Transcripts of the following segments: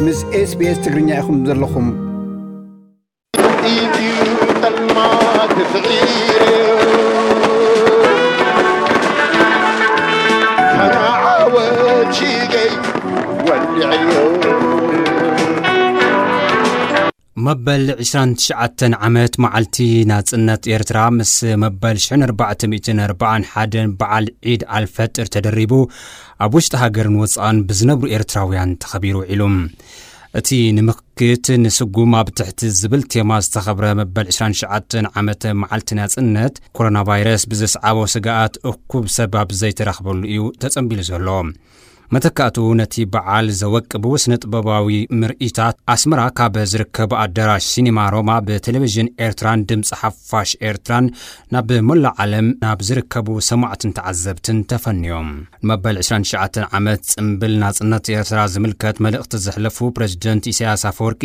ምስ SBS ትግርኛ ኢኹም ዘለኹም። ኢዩ ጠልማት ፍቒሩ ፈናዓወት ሽገይ ወሊዕዮ። መበል ዕስራን ትሽዓተን ዓመት መዓልቲ ናጽነት ኤርትራ ምስ መበል ሽሕን ኣርባዕተ ሚእትን ኣርባዓን ሓደን በዓል ዒድ ኣልፈጥር ተደሪቡ ኣብ ውሽጢ ሃገርን ወጻእን ብዝነብሩ ኤርትራውያን ተኸቢሩ ውዒሉ። እቲ ንምክት ንስጉም ኣብ ትሕቲ ዝብል ቴማ ዝተኸብረ መበል ዕስራን ትሽዓተን ዓመተ መዓልቲ ናጽነት፣ ኮሮና ቫይረስ ብዘስዓቦ ስግኣት እኩብ ሰብ ኣብ ዘይተረኽበሉ እዩ ተጸንቢሉ ዘሎ። መተካእቱ ነቲ በዓል ዘወቅቡ ስነ ጥበባዊ ምርኢታት ኣስመራ ካብ ዝርከብ ኣዳራሽ ሲኒማ ሮማ ብቴሌቪዥን ኤርትራን ድምፂ ሓፋሽ ኤርትራን ናብ መላእ ዓለም ናብ ዝርከቡ ሰማዕትን ተዓዘብትን ተፈንዮም። ንመበል ዕስራን ትሽዓተን ዓመት ጽምብል ናጽነት ኤርትራ ዝምልከት መልእኽቲ ዘሕለፉ ፕሬዝደንት ኢሳያስ ኣፈወርቂ፣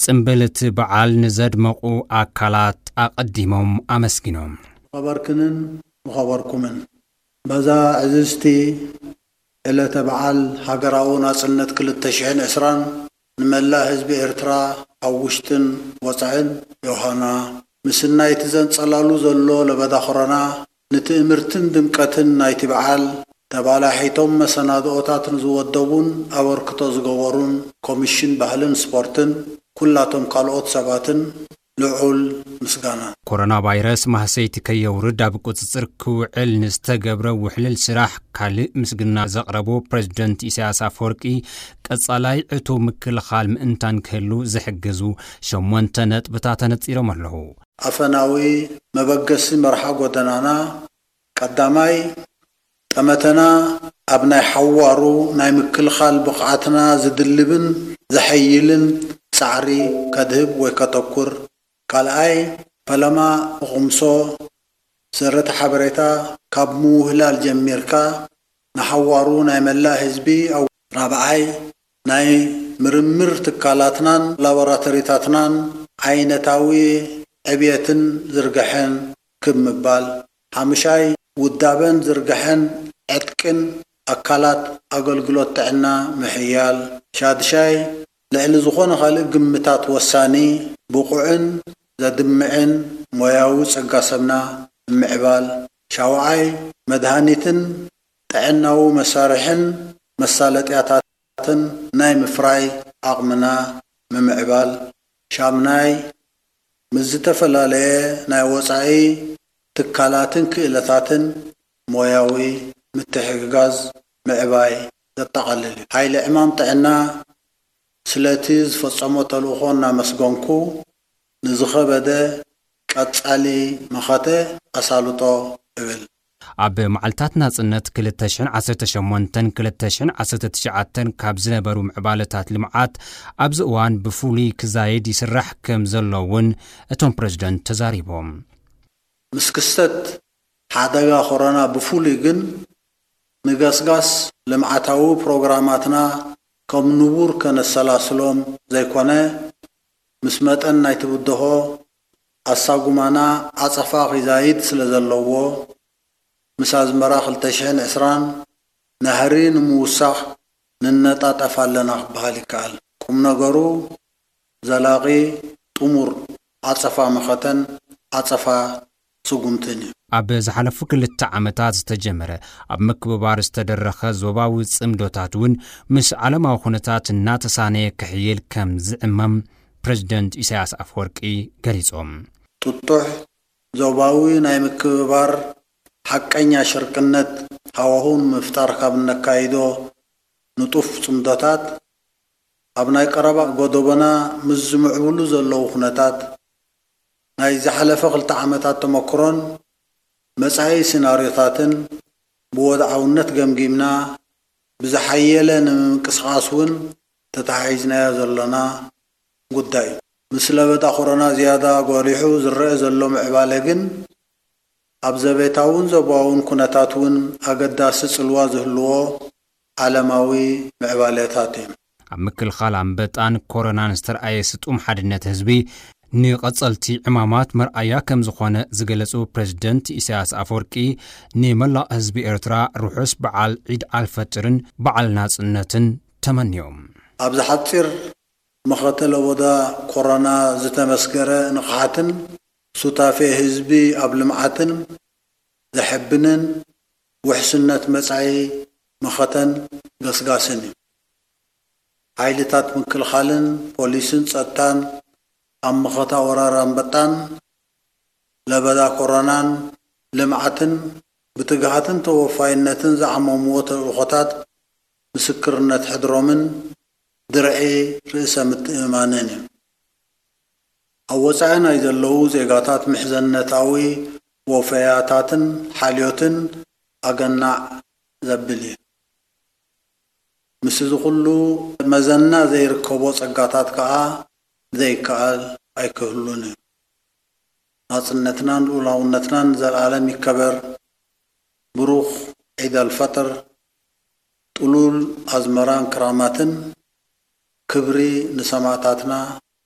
ጽምብል እቲ በዓል ንዘድመቑ ኣካላት ኣቐዲሞም ኣመስጊኖም። ዝኸበርክንን ዝኸበርኩምን፣ በዛ ዕዝዝቲ ዕለተ በዓል ሃገራዊ ናጽነት ክልተ ሽሕን ዕስራን ንመላእ ህዝቢ ኤርትራ ኣብ ውሽጥን ወጻእን፣ ዮሃና፣ ምስናይ እቲ ዘንጸላሉ ዘሎ ለበዳ ኮሮና፣ ንትእምርትን ድምቀትን ናይቲ በዓል ተባላሒቶም መሰናድኦታት ንዝወደቡን ኣበርክቶ ዝገበሩን ኮሚሽን ባህልን ስፖርትን ኩላቶም ካልኦት ሰባትን ልዑል ምስጋና። ኮሮና ቫይረስ ማህሰይቲ ከየውርድ ኣብ ቁጽጽር ክውዕል ንዝተገብረ ውሕልል ስራሕ ካልእ ምስግና ዘቕረቡ ፕሬዝደንት ኢሳያስ ኣፈወርቂ፣ ቀጻላይ ዕቱብ ምክልኻል ምእንታን ክህሉ ዝሕግዙ ሸሞንተ ነጥብታት ተነጺሮም ኣለዉ። ኣፈናዊ መበገሲ መርሓ ጎደናና ቀዳማይ ጠመተና ኣብ ናይ ሓዋሩ ናይ ምክልኻል ብቕዓትና ዝድልብን ዘሐይልን ጻዕሪ ከድህብ ወይ ከተኩር፣ ካልኣይ ፈለማ ብቕምሶ ሰረተ ሓበሬታ ካብ ምውህላል ጀሚርካ ንሓዋሩ ናይ መላእ ህዝቢ ኣው-፣ ራብዓይ ናይ ምርምር ትካላትናን ላቦራቶሪታትናን ዓይነታዊ ዕብየትን ዝርግሐን ክብ ምባል፣ ሓምሻይ ውዳበን ዝርግሐን ዕጥቅን ኣካላት ኣገልግሎት ጥዕና ምሕያል፣ ሻድሻይ ልዕሊ ዝኾነ ካልእ ግምታት ወሳኒ ብቑዕን ዘድምዕን ሞያዊ ጸጋ ሰብና ምምዕባል፣ ሻውዓይ መድሃኒትን ጥዕናዊ መሳርሕን መሳለጥያታትን ናይ ምፍራይ ዓቕምና ምምዕባል፣ ሻምናይ ምስ ዝተፈላለየ ናይ ወጻኢ ትካላትን ክእለታትን ሞያዊ ምትሕግጋዝ ምዕባይ ዘጠቓልል እዩ። ሓይሊ ዕማም ጥዕና ስለቲ ዝፈጸሞ ተልእኾ እናመስገንኩ፣ ንዝኸበደ ቀጻሊ መኸተ ኣሳልጦ እብል። ኣብ መዓልታት ናጽነት ክልተ ሽሕን ዓሰርተ ሸሞንተን ክልተ ሽሕን ዓሰርተ ትሽዓተን ካብ ዝነበሩ ምዕባለታት ልምዓት ኣብዚ እዋን ብፍሉይ ክዛየድ ይስራሕ ከም ዘሎ እውን እቶም ፕሬዝደንት ተዛሪቦም። ምስ ክስተት ሓደጋ ኮሮና ብፍሉይ ግን ንገስጋስ ልምዓታዊ ፕሮግራማትና ከም ንቡር ከነሰላስሎም ዘይኮነ፣ ምስ መጠን ናይቲ ብድሆ ኣሳጉማና ዓጸፋ ኺዛይድ ስለ ዘለዎ፣ ምስ ኣዝመራ ክልተ ሽሕን ዕስራን ናህሪ ንምውሳኽ ንነጣጠፍ ኣለና ክበሃል ይከኣል። ቁም ነገሩ ዘላቒ ጥሙር ዓጸፋ መኸተን ዓጸፋ ስጉምትን እዩ። ኣብ ዝሓለፉ ክልተ ዓመታት ዝተጀመረ ኣብ ምክብባር ዝተደረኸ ዞባዊ ጽምዶታት እውን ምስ ዓለማዊ ኩነታት እናተሳነየ ክሕይል ከም ዝዕመም ፕሬዝደንት ኢሳያስ ኣፈወርቂ ገሊጾም። ጥጡሕ ዞባዊ ናይ ምክብባር ሓቀኛ ሽርክነት ሃዋሁ ንምፍጣር ካብ እነካይዶ ንጡፍ ጽምዶታት፣ ኣብ ናይ ቀረባ ጎደቦና ምስ ዝምዕብሉ ዘለዉ ኩነታት፣ ናይ ዝሓለፈ ክልተ ዓመታት ተመክሮን መጻኢ ሲናርዮታትን ብወድዓውነት ገምጊምና፣ ብዝሓየለ ንምንቅስቓስ እውን ተተሓሒዝናዮ ዘሎና ጉዳይ እዩ። ምስ ለበዳ ኮሮና ዝያዳ ጎሊሑ ዝረአ ዘሎ ምዕባለ ግን፣ ኣብ ዘቤታውን ዞባውን ኩነታት እውን ኣገዳሲ ጽልዋ ዝህልዎ ዓለማዊ ምዕባለታት እዩ። ኣብ ምክልኻል ኣንበጣን ኮሮናን ዝተርኣየ ስጡም ሓድነት ህዝቢ፣ ንቐጸልቲ ዕማማት መርኣያ ከም ዝኾነ ዝገለጹ ፕሬዝደንት ኢሳያስ ኣፈወርቂ፣ ንመላእ ህዝቢ ኤርትራ ርሑስ በዓል ዒድ ኣልፈጥርን በዓል ናጽነትን ተመንዮም። ኣብዚ ሓጺር መኸተ ለቦዳ ኮሮና ዝተመስገረ ንቕሓትን ሱታፌ ህዝቢ ኣብ ልምዓትን ዘሐብንን ውሕስነት መጻኢ መኸተን ገስጋስን እዩ። ሓይልታት ምክልኻልን ፖሊስን ጸጥታን ኣብ መኸታ ወራር ኣንበጣን ለበዳ ኮሮናን ልምዓትን ብትግሃትን ተወፋይነትን ዝዓመምዎ ተልእኾታት ምስክርነት ሕድሮምን ድርዒ ርእሰ ምትእምማንን እዩ። ኣብ ወጻኢ ናይ ዘለዉ ዜጋታት ምሕዘነታዊ ወፈያታትን ሓልዮትን ኣገናዕ ዘብል እዩ። ምስዚ ኩሉ መዘና ዘይርከቦ ጸጋታት ከኣ ዘይከኣል ኣይክህሉን እዩ። ናጽነትናን ልኡላውነትናን ንዘለኣለም ይከበር። ብሩኽ ዒድ ኣልፈጥር፣ ጥሉል ኣዝመራን ክራማትን። ክብሪ ንሰማእታትና፣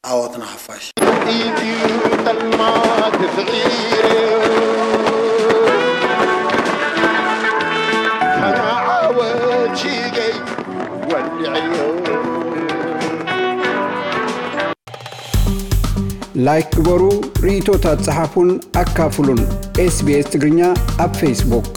ዓወት ንሓፋሽ። ኢትዩ ጠልማት ስዒሩ ፈናዓወት ሽገይ ወሊዐዮ። ላይክ ግበሩ፣ ርእይቶታት ጸሓፉን ኣካፍሉን። ኤስቢኤስ ትግርኛ ኣብ ፌስቡክ።